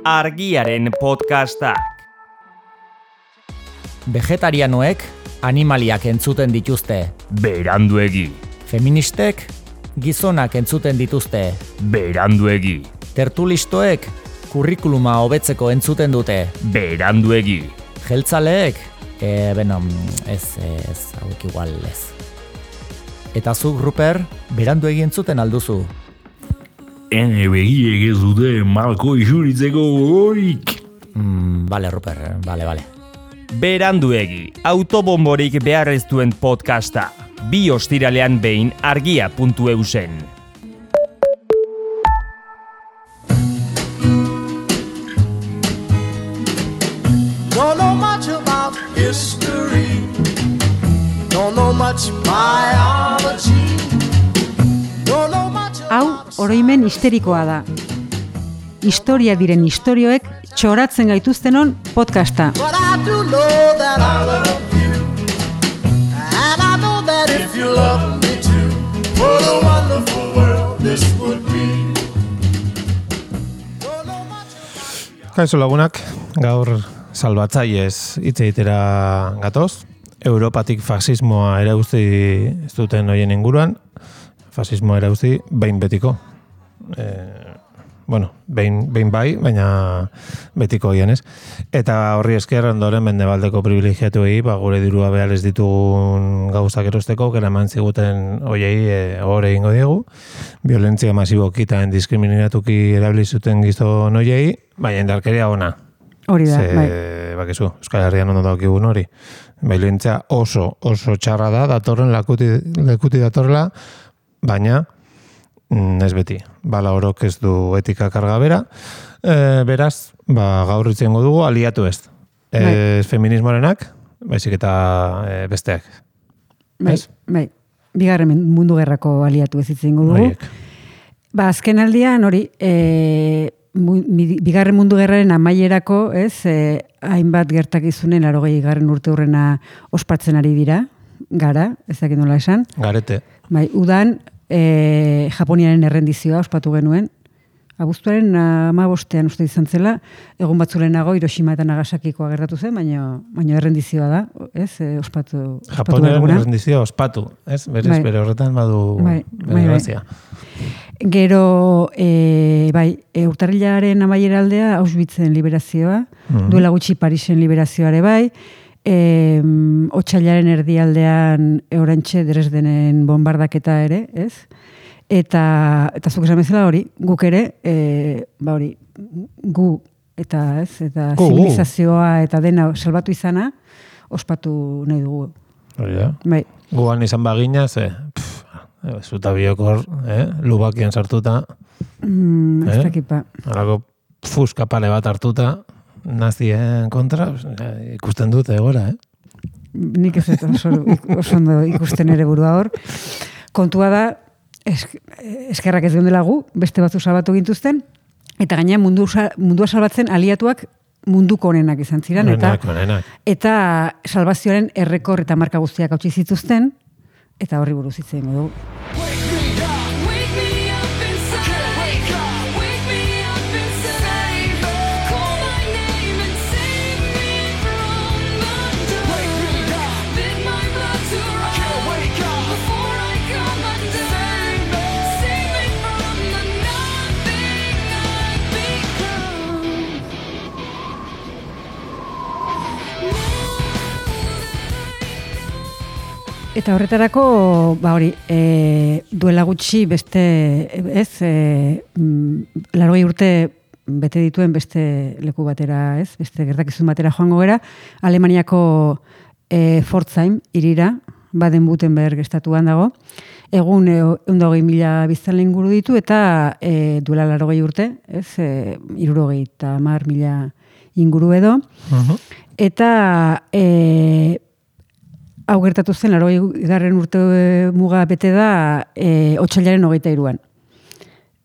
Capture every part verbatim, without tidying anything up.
Argiaren podcastak. Vegetarianoek animaliak entzuten dituzte. Beranduegi. Feministek gizonak entzuten dituzte. Beranduegi. Tertulistoek kurrikuluma hobetzeko entzuten dute. Beranduegi. Jeltzaleek, e, beno, ez, ez, hauek igual ez. Eta zuk, Ruper, beranduegi entzuten alduzu. Ene begiek ez dute malko isuritzeko gogorik. Mm, bale, Ruper, bale, bale. Beranduegi, autobomborik behar ez duen podcasta. Bi ostiralean behin argia puntu eusen. Don't know much about history. Don't know much biology. Don't know much about... Hau, oroimen histerikoa da. Historia diren istorioek txoratzen gaituztenon podcasta. But I do know that I love you. And I know that if you love me too, what a wonderful world this would be. Don't know much... Kaixo lagunak, gaur salbatzaiez hitz egitera gatoz. Europatik fasismoa erauzti ez duten hoien inguruan. Fasismoa erauzti behin betiko. E, bueno, behin, behin bai, baina betiko hoien ez. Eta horri esker ondoren mendebaldeko privilegiatuei, ba, gure dirua behar ez ditugun gauzak erosteko, kera eman ziguten hoiei e, hor egingo diegu. Violentzia masiboki eta diskriminatuki erabilizuten gizon hoiei, baina indarkeria ona. Hori da, Ze, bai. Bakizu, Euskal Herrian ondo daukigun hori. Violentzia oso, oso txarra da, datorren lakuti, lekuti datorrela, baina mm, ez beti. Bala orok ez du etika karga bera. E, beraz, ba, gaur itzengo dugu aliatu ez. Ez Bai. feminismoarenak, baizik eta e, besteak. Bai, Ez? bai. Bigarren mundu gerrako aliatu ez itzengo dugu. Horiek. Ba, azken aldian, hori, e, mu, mi- bigarren mundu gerraren amaierako, ez, e, hainbat gertakizunen larogei garren urte hurrena ospatzen ari dira, gara, ez dakit nola esan. Garete. Bai, udan, e, Japoniaren errendizioa ospatu genuen. Abuztuaren hamabostean uste izan zela, egun batzulenago Hiroshima eta Nagasakikoa gertatu zen, baina, baina errendizioa da, ez, e, ospatu, ospatu Japoniaren duguna. errendizioa ospatu, ez? Berez, Bai. bere horretan badu Bai, bere bai, bai. grazia. Gero, e, bai, e, urtarrilaren amaiera aldea Auschwitzen liberazioa, Mhm. duela gutxi Parisen liberazioare bai, e, otsailaren erdialdean orantxe Dresdenen bombardaketa ere, ez? Eta, eta zuk esan bezala hori, guk ere, e, ba hori, gu eta ez, eta Gu, gu. zibilizazioa eta dena salbatu izana, ospatu nahi dugu. Hori da. Bai, Guan izan bagina, ze, pff, zuta biokor, eh? Lubakian sartuta, mm, ez Eh? dakipa. alako fuska pare bat hartuta, nazien kontra, eh, ikusten dute egora, eh? Nik ez dut oso, oso ondo ikusten ere burua hor. Kontua da, esk, eskerrak ez geundela gu, beste batzu salbatu gintuzten, eta gaina mundu, sa- mundua salbatzen aliatuak munduko onenak izan ziren, eta Onenak, onenak. eta salbazioaren errekor eta marka guztiak hautsi zituzten, eta horri buruz hitz egingo dugu. Wake me up inside. Wake up, wake me up inside. Call my name and save me from the dark. Wake me up. Bid my blood to rise. Wake up before I come undone. Save me from the nothing I've become. Eta horretarako, ba hori, e, duela gutxi beste, ez, e, mm, larogei urte bete dituen beste leku batera, ez, beste gertakizun batera joango gera, Alemaniako e, Pforzheim hirira, Baden-Württemberg estatuan dago, egun ehun eta hogei mila biztanle inguru ditu, eta e, duela larogei urte, ez, e, hirurogei eta hamar mila inguru edo, Mhm. eta e, hau gertatu zen, larogei garren urte muga bete da e, otsailaren hogeita hiruan.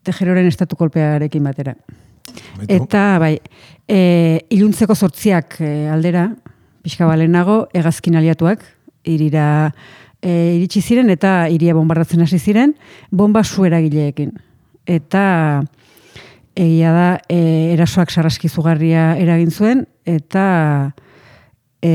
Tejeroren estatu kolpearekin batera. Eta, bai, e, iluntzeko zortziak e, aldera, pixka balenago, hegazkin aliatuak, irira e, iritsi ziren eta iria bombardatzen hasi ziren, bomba su eragileekin. Eta egia da e, erasoak sarraski zugarria eragin zuen, eta e,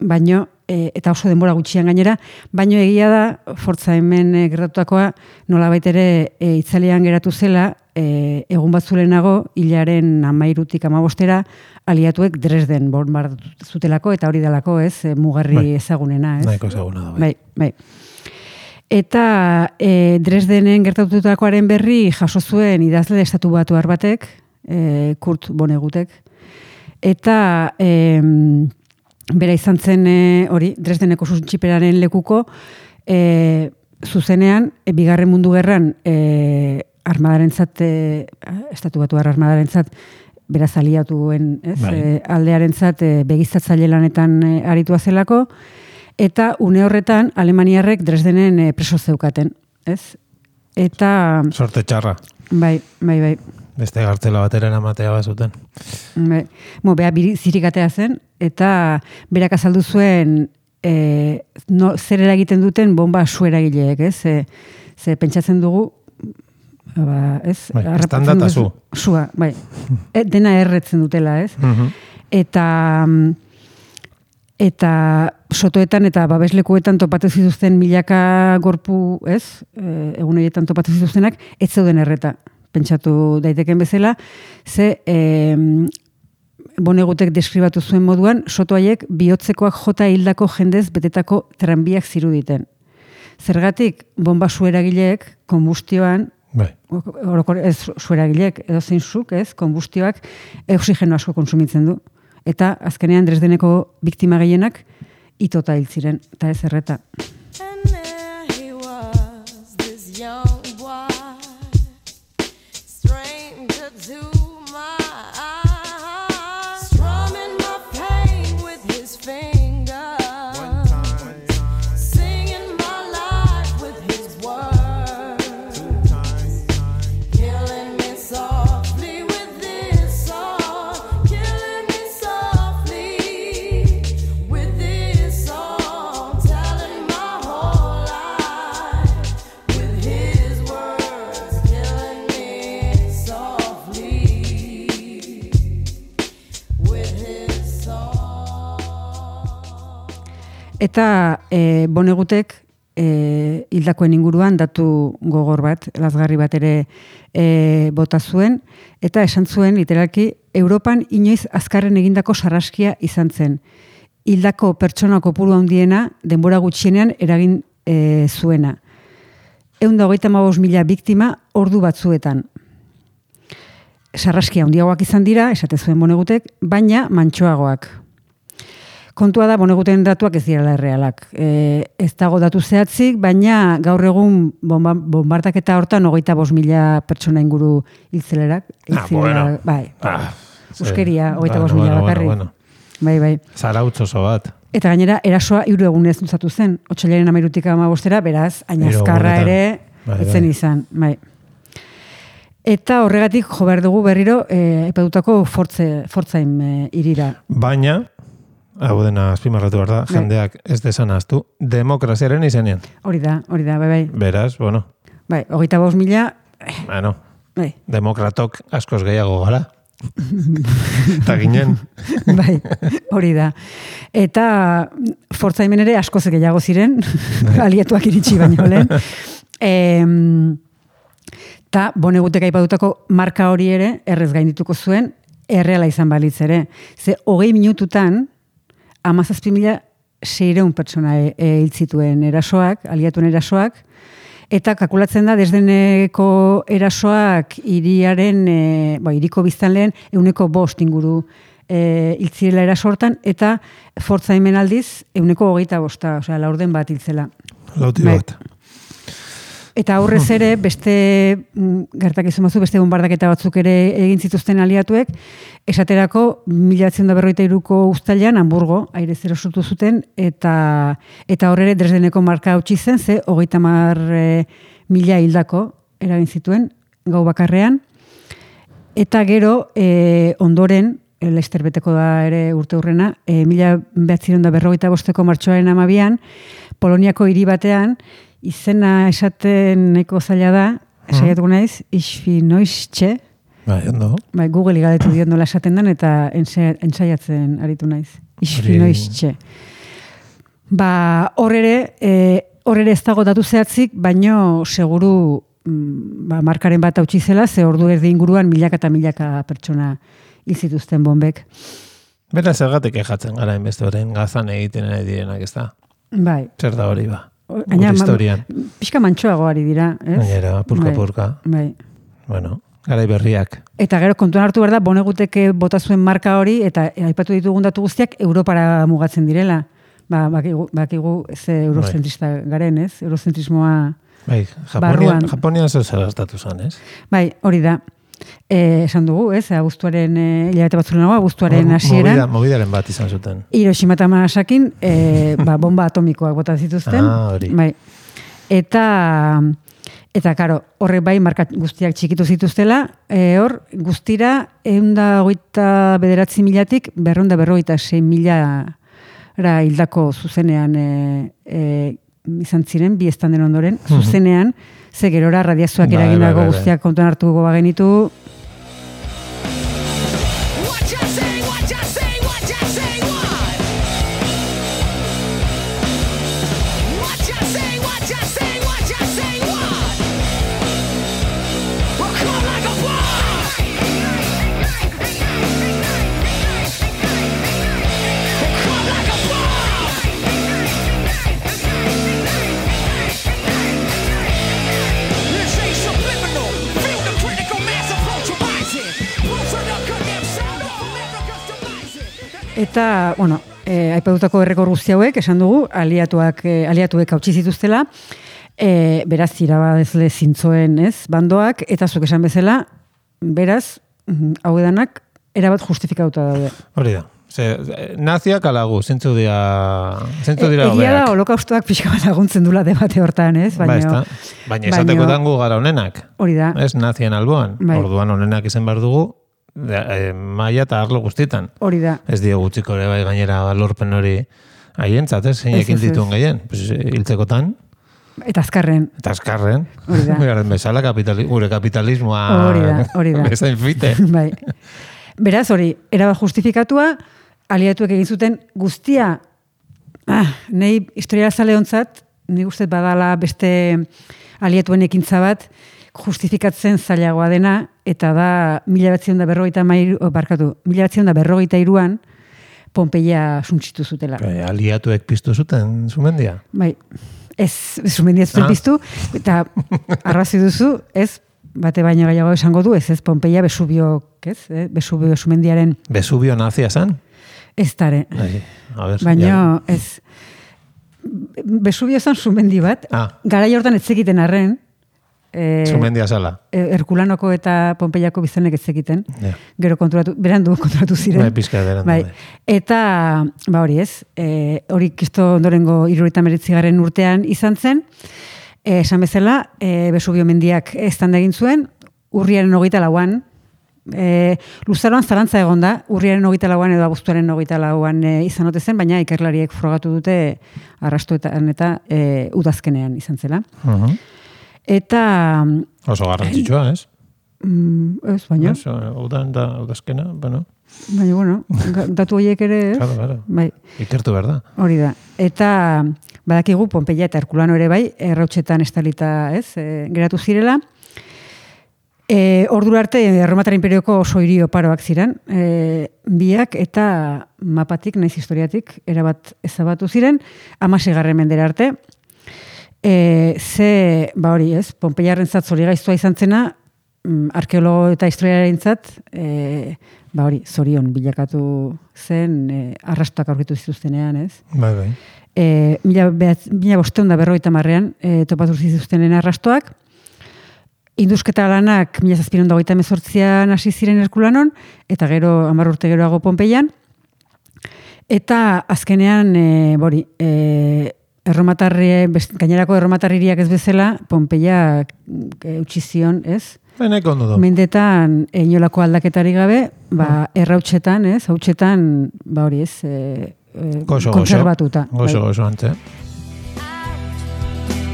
baino, e, eta oso denbora gutxian gainera, baino egia da, Forza hemen e, gertatutakoa nolabait ere e, itzalean geratu zela, e, egun bat zulenago, hilaren amairutik amabostera, aliatuek Dresden bombardatu zutelako, eta hori delako, ez, e, mugarri Bai. ezaguna, ez? Nahiko ezaguna da, bai. Bai, bai. Eta e, Dresdenen gertatutakoaren berri jaso zuen idazle estatu batuar batek, e, Kurt Vonnegutek, eta e, bera izan zen e, hori, Dresdeneko susntxiperaren lekuko, e, zuzenean, e, bigarren mundu gerran e, armadarentzat, e, estatu batuar armadarentzat, beraz aliatuen, ez, Bai. e, aldearentzat e, begiztatzaile lanetan e, aritua zelako, eta une horretan Alemaniarrek Dresdenen e, preso zeukaten, ez? Eta, Sorte txarra. bai, bai, bai, Beste gartzela bateren amatea bazuten. bai. Mo, beha biri- zirikatea zen, eta berak azaldu zuen e, no, zer eragiten duten bomba su eragileek, ez? Ze, ze pentsatzen dugu, ba, ez? Bai, Harrapatzen estanda eta dugu zu. Sua, bai. E, dena erretzen dutela, ez? Mhm. Eta eta sotoetan eta babeslekuetan topatu zituzten milaka gorpu, ez? E, egun horietan topatu zituztenak, ez zeuden erreta, pentsatu daiteken bezala, ze e, Vonnegutek deskribatu zuen moduan, soto haiek bihotzekoak jota hildako jendez betetako tranbiak ziruditen. Zergatik, bomba su eragileek, konbustioan, Bai. orokor, ez su eragileek, edo zein zuk, ez, konbustioak oxigeno asko konsumitzen du. Eta azkenean Dresdeneko biktima gehienak itota hil ziren, eta ez erreta. And there he was, this young boy, stranger to my eyes, strumming my pain with his fingers, singing my life with his words, killing me softly with this song, killing me softly with this song, telling my whole life with his words, killing me softly with his song. Eta e, Vonnegutek e, hildakoen inguruan datu gogor bat, lazgarri bat ere e, bota zuen, eta esan zuen literalki Europan inoiz azkarren egindako sarraskia izan zen. Hildako pertsona kopuru handiena denbora gutxienean eragin e, zuena. Ehun eta hogeita hamabost mila biktima ordu batzuetan. Sarraskia handiagoak izan dira, esate zuen Vonnegutek, baina mantsoagoak. Kontua da, Vonneguten datuak ez direla errealak. E, ez dago datu zehatzik, baina gaur egun bomba, bombardaketa hortan hogeita bost mila pertsona inguru hiltzelerak. Ah, bueno. Bai, Ah, euskeria, sí. hogeita bost Bueno, mila bueno, bakarrik. bueno, Bai, bai. Zarautz oso bat. Eta gainera, erasoa hiru egunez luzatu zen. Otsailaren hamairutik hamabostera, beraz, Hiru ainazkarra egunetan. ere Bai, ez zen bai. izan. Bai. Eta horregatik jo behar dugu berriro e, aipatutako Fortze, Fortzaim e, irira. Baina, hau dena azpimarratu behar da, Bai. jendeak ez desan aztu, demokraziaren izenean. Hori da, hori da, bai, bai. Beraz, bueno, Bai, hogeita bost mila, bueno, bai, demokratok askoz gehiago gara. Eta ginen. bai, hori da. Eta Fortzaimen ere askoz gehiago ziren, aliatuak iritsi baino lehen. Em, Ta Vonnegutek aipatutako marka hori ere errez gaindituko zuen, erreala izan balitz ere. Ze hogei minututan, hamazazpi mila seiehun pertsona e, e, hil zituen erasoak, aliatuen erasoak, eta kalkulatzen da Dresdeneko erasoak hiriaren, e, ba, hiriko biztanleen ehuneko bost inguru e, hil zirela eraso hortan, eta Fortzaimen aldiz ehuneko hogeita bosta, osea, laurden bat hiltzela. Lauti Bai. bat. Eta aurrez ere, beste mm, gertakizun batzu, beste bombardaketa batzuk ere egin zituzten aliatuek, esaterako mila bederatziehun eta berrogeita hiruko uztailean Hamburgo airez erosotu zuten, eta eta hor ere Dresdeneko marka hautsi zen, ze hogeita hamar e, mila hildako eragin zituen gau bakarrean. Eta gero, e, ondoren, e, Lester beteko da ere urte hurrena, e, mila bederatziehun eta berrogeita bosteko martxoaren hamabian, Poloniako hiri batean, izena esaten nahiko zaila da, saiatuko naiz, isfinoiztxe, Bai, ondo. bai, Google igaletu diot nola esaten den, eta ensa- ensaiatzen aritu naiz. Isfinoiztxe. Ba, hor ere, e, hor ere ez dago datu zehatzik, baino seguru mm, ba, markaren bat hautsi zela, ze ordu erdi inguruan milaka eta milaka pertsona hil zituzten bombek. Bera zergatik ejatzen gara inbeste orain gazan egiten ari direnak, ez da? Bai. Zer da hori ba? Baina, Gure ma- historian. Pixka mantxoago ari dira, ez? Gainera, purka-purka. Bai, bai. Bueno, garai berriak. Eta gero kontuan hartu behar da, Boneguteke bota zuen marka hori, eta aipatu ditugun datu guztiak Europara mugatzen direla. Ba, bakigu, bakigu ze eurozentrista garen, ez? Eurozentrismoa Bai, barruan. Japonian, Japonian zer zerastatu zen, ez? Bai, hori da. E, esan dugu, ez? Abuztuaren, e, hilabete batzulenago, abuztuaren Movida- hasieran, Movidaren bat izan zuten. Hiroshima eta Nagasakin, e, ba, bomba atomikoak bota zituzten. Ah, hori. Bai. Eta, eta karo, horrek bai, marka guztiak txikitu zituztela, e, hor, guztira, eunda hogeita bederatzi milatik, berreunda berrogeita sei milara hildako zuzenean e, e, izan ziren, bi estanden ondoren, zuzenean, ze gerora radiazioak Bai, eragindako bai, bai, bai. guztiak kontuan hartuko bagenitu, What you say, what you say, what you say, what? What you say, what you say, what you say, what? Well, come like a boss. Come like a boss. This ain't subliminal. Feel the critical mass approach rising. Pulse of the connect sound of America's demise. eta, bueno, e, aipatutako errekor guzti hauek, esan dugu, aliatuak, e, aliatuek hautsi zituztela, e, beraz, irabazle zintzoen, ez, bandoak, eta zuk esan bezala, beraz, mm, hau edanak, erabat justifikauta daude. Hori da. Ze, naziak alagu, zintzu dira, zintzu dira E, egia da, hobeak. holokaustoak pixka bat laguntzen dula debate hortan, ez? Ba, Baina, ez da. Baina esatekotan gu gara honenak. hori da. Ez nazien alboan. Bai. Orduan honenak izan behar dugu, e, maila eta arlo guztietan. Hori da. Ez dio gutxiko ere bai gainera lorpen hori haientzat, ez? Zeinek Ez, ez, ez. dituen gehien. Pues, hiltzekotan, Eta azkarren. eta azkarren. Hori da. Garen bezala kapitali, gure kapitalismoa Hori da, hori da. bezain fite. Bai. Beraz, hori, erabat justifikatua, aliatuek egin zuten guztia, ah, nahi historialzale ontzat, nik uste badala beste aliatuen ekintza bat, justifikatzen zailagoa dena, eta da mila batzion da berrogeita mairu, oh, barkatu, mila batzion da berrogeita iruan, Pompeia suntsitu zutela. Bai, aliatuek piztu zuten zumendia. Bai, ez, ez sumendia zuten Ah. piztu, eta arrazi duzu, ez, bate baino gehiago esango du, ez, ez, Pompeia Vesubio, ez, eh? Vesubio sumendiaren Vesubio nazia zan? ez dare. Bai, a ber, Baina, ja. ez, Vesubio zan sumendi bat, Ah. garai hortan ez zekiten arren, e, Zumendia zala. Herkulanoko eta Pompeiako bizanek ez zekiten, Ja. gero konturatu, berandu konturatu ziren. Bai, pizka berandu, Bai. bai. Eta, ba hori ez, e, hori kisto ondorengo hirurogeita hemeretzigarren urtean izan zen, e, esan bezala, e, Vesubio mendiak eztanda egin zuen, urriaren hogeita lauan, e, luzaroan zalantza egon da, urriaren hogeita lauan edo abuztuaren hogeita lauan e, izan ote zen, baina ikerlariek frogatu dute arrastoetan eta e, udazkenean izan zela. Uh-huh. Eta, Oso garrantzitsua, ez? mm, ez, baina, Oso, udan da, udazkena, bueno, baina, bueno, ga- datu horiek ere, ez? claro, claro. Bai, Ikertu behar da. hori da. Eta badakigu Pompeia eta Herkulano ere bai, errautsetan estalita, ez, e, geratu zirela. E, ordura arte, Erromatar Imperioko oso hiri oparoak ziren, e, biak eta mapatik, naiz historiatik, erabat ezabatu ziren, hamaseigarren mendera arte. E, ze, ba hori ez, Pompeiarren zat zorigaiztua izan zena, mm, arkeologo eta historiaren zat, e, ba hori, zorion bilakatu zen, e, arrastoak aurkitu zituztenean, ez? Bai, bai. E, mila, behatz, mila bosteun da berrogeita marrean, e, topatu zituztenen arrastoak, Indusketa lanak mila zazpiron da hogeita hemezortzian hasi ziren Herkulanon, eta gero hamar urte geroago Pompeian. Eta azkenean, e, bori, e, erromatarri, best- gainerako erromatarririak ez bezala, Pompeia e, utzi zion, ez? Baina ondo du. Mendetan e, inolako aldaketari gabe, ba, errautsetan, ez? Hautsetan, ba hori ez, e, e, Gozo, gozo. kontserbatuta. Gozo, bai. gozo, antze.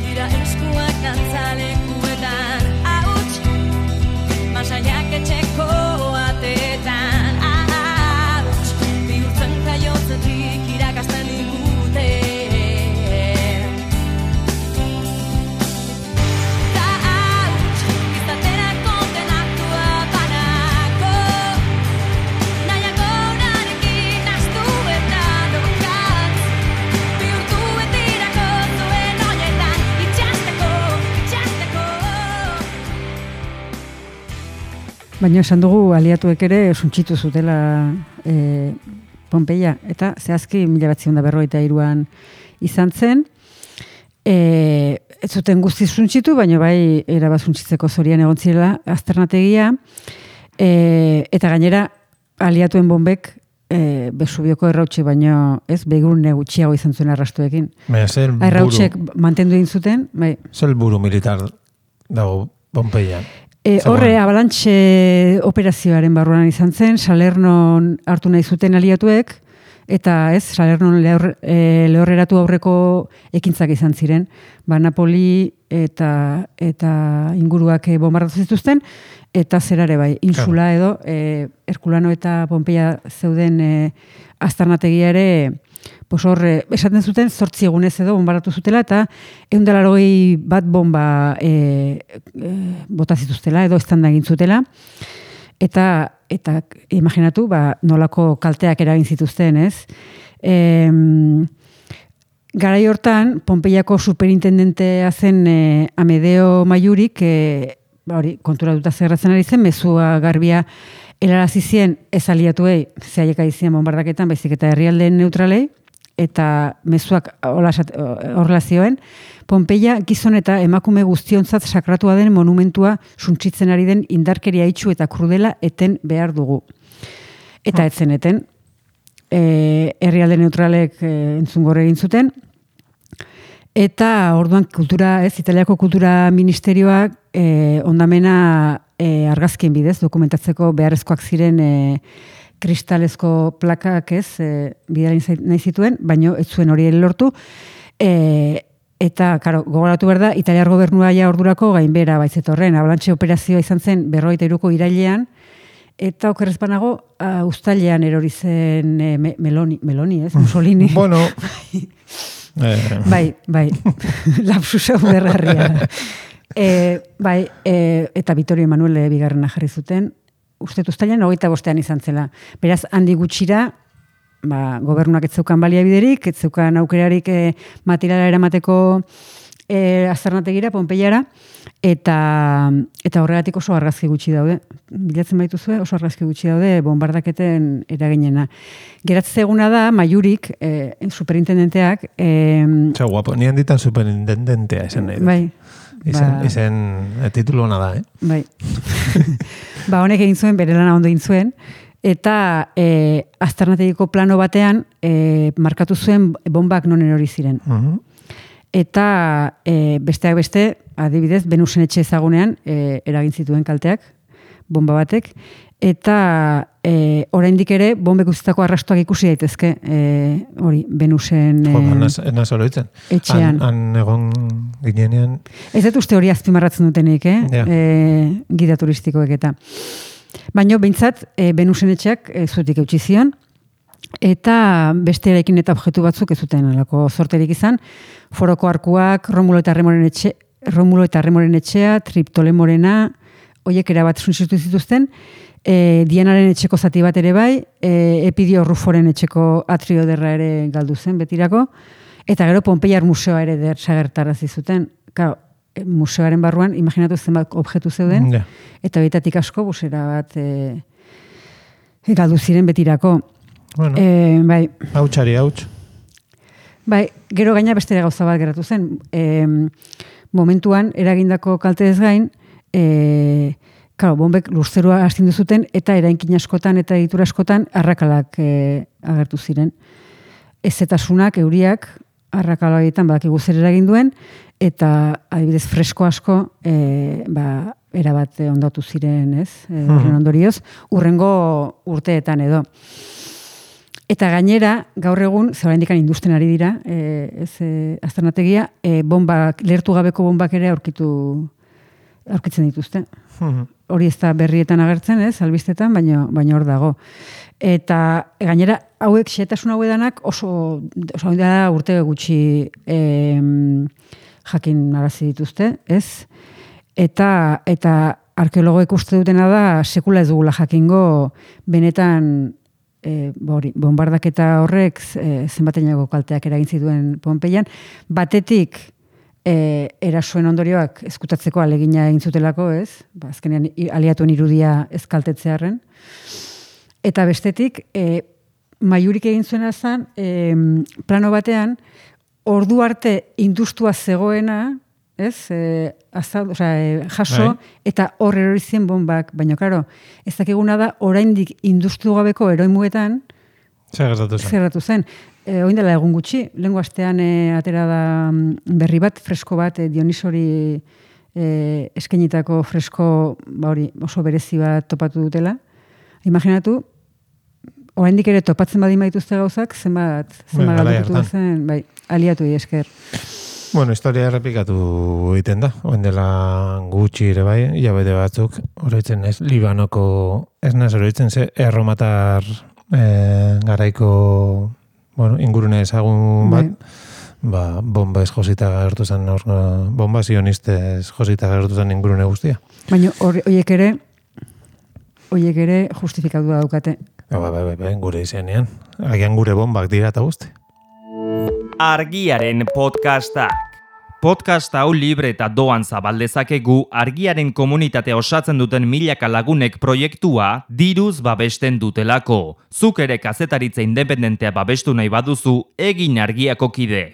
Dira eskuak dantzalekuetan, hau Baina esan dugu aliatuek ere suntsitu zutela e, Pompeia, eta zehazki mila batzion da berroita iruan izan zen, e, ez zuten guzti suntsitu, baina bai erabat suntsitzeko zorian egon zirela azternategia, e, eta gainera aliatuen bombek e, Besubioko errautxe baino ez begurune gutxiago izan zuen arrastuekin. Baina zer buru, Errautsek mantendu egin zuten, bai. zer buru militar dago Pompeian. E, horre, abalantxe operazioaren barruan izan zen, Salernon hartu nahi zuten aliatuek, eta ez, Salernon lehor, e, lehorreratu aurreko ekintzak izan ziren. Ba, Napoli eta, eta inguruak bombardatu zituzten, eta zerare bai, insula edo, e, Herkulano eta Pompeia zeuden e, aztarnategia ere, pues horre, esaten zuten zortzi egunez edo bombardatu zutela, eta ehun eta laurogei bat bomba e, e, bota zituztela edo estanda egin zutela, eta eta imaginatu ba, nolako kalteak eragin zituzten, ez? E, garai hortan, Pompeiako superintendentea zen e, Amedeo Maiurik, e, ba, hori, konturatuta zerratzen ari zen, mezua garbia helarazi zien ez aliatuei, zehaiek aizien bombardaketan, baizik eta herrialdeen neutralei, eta mezuak horrela zioen, Pompeia gizon eta emakume guztiontzat sakratua den monumentua suntsitzen ari den indarkeria itxu eta krudela eten behar dugu. Eta etzen eten, e, herrialde neutralek e, entzungor egin zuten, eta orduan kultura, ez, Italiako kultura ministerioak e, ondamena e, argazkien bidez, dokumentatzeko beharrezkoak ziren e, kristalezko plakak ez, e, bidali nahi zituen, baino ez zuen hori lortu, e, eta, karo, gogoratu behar da, Italiar gobernua ja ordurako gainbera baizetorren, abalantxe operazioa izan zen berrogeita hiruko irailean, eta okerrez banago, uh, uztailean erori zen e, me, Meloni, Meloni, ez, Mussolini. Bueno, eh. bai, bai, lapsusa ubergarria. e, bai, e, eta Vittorio Emanuele bigarrena jarri zuten, uste uztailean hogeita bostean izan zela. Beraz, handi gutxira, ba, gobernuak ez zeukan baliabiderik, ez zeukan aukerarik e, materiala eramateko e, aztarnategira, Pompeiara, eta, eta horregatik oso argazki gutxi daude. Bilatzen baituzue, oso argazki gutxi daude bombardaketen eraginena. Geratzen eguna da, Maiurik, e, superintendenteak... E, Txau, guapo, nian ditan superintendentea esan nahi dut. Bai. Izen, ba, izen e, titulu hona da, eh? Bai. Ba, honek egin zuen, bere lana ondo egin zuen, eta e, aztarnategiko plano batean e, markatu zuen bombak non erori ziren. Uh-huh. Eta e, besteak beste, adibidez, Venusen etxe ezagunean e, eragin zituen kalteak, bomba batek, eta e, oraindik ere bombek utzitako arrastoak ikusi daitezke e, hori, Venusen e, enaz oroitzen. etxean. Han, han egon ginenean... Ez dut uste hori azpimarratzen dutenik, eh? Ja. E, gida turistikoek eta. Baina, behintzat, e, Venusen etxeak e, zutik eutxi zion, eta beste eraikin eta objektu batzuk ez zuten alako zorterik izan, Foroko arkuak, Romulo eta Remoren etxe, Romulo eta Remoren etxea, Triptolemorena, hoiek erabat suntsitu zituzten, e, Dianaren etxeko zati bat ere bai, e, Epidio Ruforen etxeko atrio derra ere galdu zen betirako, eta gero Pompeiar museoa ere der sagertarazi zuten. Claro, museoaren barruan, imaginatu zenbat objektu zeuden, Ja. eta betatik asko busera bat e, galdu ziren betirako. Bueno, E, bai, hautxari hauts. bai, gero gaina beste gauza bat geratu zen. E, momentuan, eragindako kaltez gain, e, claro, bombek lurzerua astindu zuten, eta erainkin askotan eta egitura askotan arrakalak e, agertu ziren. Ezetasunak, euriak, arrakala horietan badakigu zer eragin duen, eta adibidez fresko asko e, ba, erabat ondatu ziren, ez? E, horren ondorioz, urrengo urteetan edo. Eta gainera, gaur egun, zera indikan industen ari dira, e, ez e, aztarnategia, e, bombak, lehertu gabeko bombak ere aurkitu, aurkitzen dituzte. Hori ez da berrietan agertzen, ez, albistetan, baina baina hor dago. Eta gainera, hauek xehetasun hauedanak oso, oso da urte gutxi e, jakin arazi dituzte, ez? Eta, eta arkeologoek uste dutena da, sekula ez dugula jakingo benetan E, bori, bombardaketa horrek e, zenbatenago kalteak eragin zituen Pompeian. Batetik e, erasoen ondorioak ezkutatzeko alegina egin zutelako, ez? Ba, azkenean i- aliatuen irudia ezkaltetzearren. Eta bestetik, e, Maiurik egin zuena zen, e, plano batean, ordu arte industua zegoena, ez? E, azal, osea, e, jaso, Bai. eta hor erori zien bombak. Baina, karo, ez dakiguna da, oraindik industu gabeko eroimuetan, Zer gertatu zen? zerratu zen. E, oin dela egun gutxi, lehengo astean e, atera da mm, berri bat, fresko bat, e, Dionisori e, eskenitako fresko ba hori oso berezi bat topatu dutela. Imaginatu, oraindik ere topatzen badin baituzte gauzak, zenbat, zenbat garai galdutu hartan. zen, bai, aliatu esker. Bueno, historia errepikatu egiten da. Oen dela gutxi ere bai, hilabete batzuk, oroitzen ez, Libanoko, ez naz oroitzen ze, erromatar eh, garaiko, bueno, ingurune ezagun bat, ba, bomba ez josita gertu zen, hor, bomba zionistez josita gertu zen ingurune guztia. Baina horiek ere, horiek ere justifikatu daukate. Ba, bai, bai, bai, gure izenean. Agian gure bombak dira eta guzti. Argiaren podcastak. Podcast hau libre eta doan zabaldezakegu Argiaren komunitatea osatzen duten milaka lagunek proiektua diruz babesten dutelako. Zuk ere kazetaritza independentea babestu nahi baduzu, egin Argiako kide.